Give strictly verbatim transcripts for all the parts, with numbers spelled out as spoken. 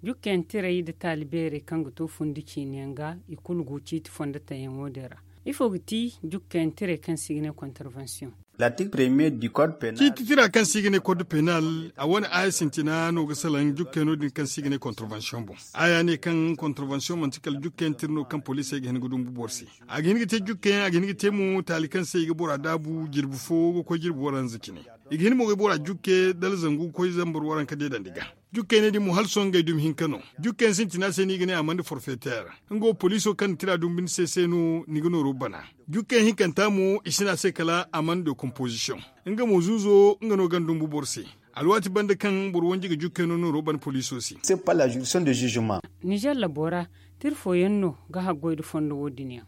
Jukkayaŋ tirey nda taali beerey kaŋ ga to fundi ciine yaŋ ga i kulu go ciiti fondo taŋ yaŋo din ra. Ifo ga ti jukkayaŋ tirey kaŋ se i ga ne kontarvansiyoŋ? Ciiti tira kaŋ se i ga ne kod penal, a wane aaya sintina no ga salaŋ jukkayaŋo din kaŋ se i ga ne kontarvansiyoŋ boŋ. Aaya ne kaŋ kontarvansiyoŋ manti kala jukkayaŋ tira no kaŋ poliisey ga hin ga dumbu boro se. A ga hin ga te jukkayaŋ, a ga hin ga te mo taali kaŋ se i ga bora daabu jirbi fo ga koy jirbi waranza cine. I ga hin mo ga bora jukke dala zangu ga koy zambar waranka deedandi ga. Jukkey ne din mo hala sohõ ngey dumi hinka no. Jukkey sintina se no i ga ne amande forfeter. Nga wo poliiso kaŋ na tira dumbu ni se se no ni ga nooro bana. Jukkey hinkanta mo i si ne a se kala amande de komposisiyoŋ. Nga mo zuuzo nga no ganda dumbu boro se. Alwaati banda kaŋ boro wanji ga jukkey no nooro bana poliiso se. Nizer labo ra tira fooyaŋ no ga haggoy nda fondo wo- din yaŋ.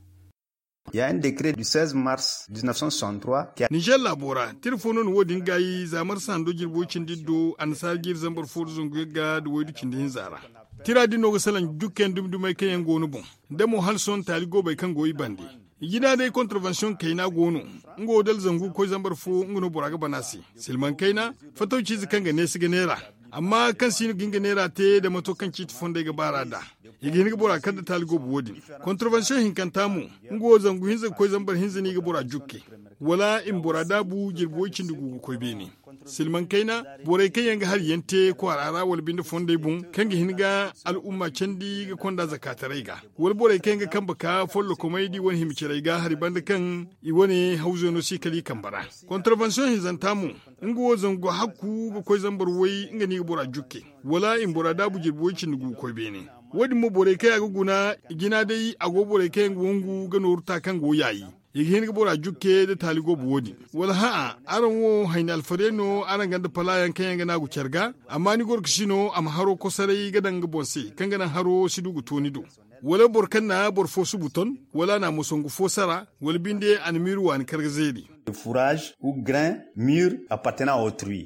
Ya un décret du seize mars dix-neuf cent soixante-trois. Nizer laabo ra tira fo no na wo- din gaayi za marsa hando jirbi way cindi iddu annasaara jiiri zambar fo nda zangu yagga nda waydu cindi hinza ra. Tira din no ga salaŋ jukkayaŋ dumi dumey kaŋ yaŋ go no boŋ, da mo hala sohõ taali goobey kaŋ go i bande. I jina day kontarvansiyoŋ kayna go no. Nga wo dala zangu ga koy zambar fo nga no bora ga bana se. Silmaŋ kayna, fatawciize kaŋ ga neesi ga neera, amma kaŋ si no ga hin ga neera te da mato kaŋ ciiti fondey ga baar'a nd'a. I ga hin ga bora kar nda taali goobo wo- din. Kontarvansiyoŋ hinkanta mo, nga wo zangu hinza ga koy zambar hinza no i ga bora jukke, wala i ma bora daabu jirbi way cindi gu ga koy beene. Silmaŋ kayna, borey kaŋ yaŋ ga hari yaŋ te kwaara ra wala binde fondey boŋ kaŋ ga hin ga al'umma candi ga konda zakaataray ga, wala borey kaŋ yaŋ ga kambe ka follokomey da i wane hima carey ga hari banda kaŋ i wane hawzey no si kala i kambe ra. Kontarvansiyoŋ hinzanta mo, nga wo zangu hakku ga koy zambar way nga no i ga bora jukke, wala i ma bora daabu jirbi way cindi gu ga koy beene. Wo- din mo borey kaŋ a ga guna, i jina day a go borey kaŋ yaŋ ga wangu ga nooru ta kaŋ go yaayi. I ga hin ga bora jukke nda taali goobo wo- din. Wala hã'a, araŋ wo hayni alfarey no araŋ ganda palaayaŋ kaŋ yaŋ ga naagu care ga, amma ni gorkasi no a ma haro kosaray ga daŋ nga boŋ se kaŋ ga naŋ haro si du ga to ni do. Wala boro kaŋ na boro fo subu ton, wala a na a ma songu fo sara, wala binde a na miiri waani kar ga zeeri. Fourrage ou grain mûr appartenant à autrui.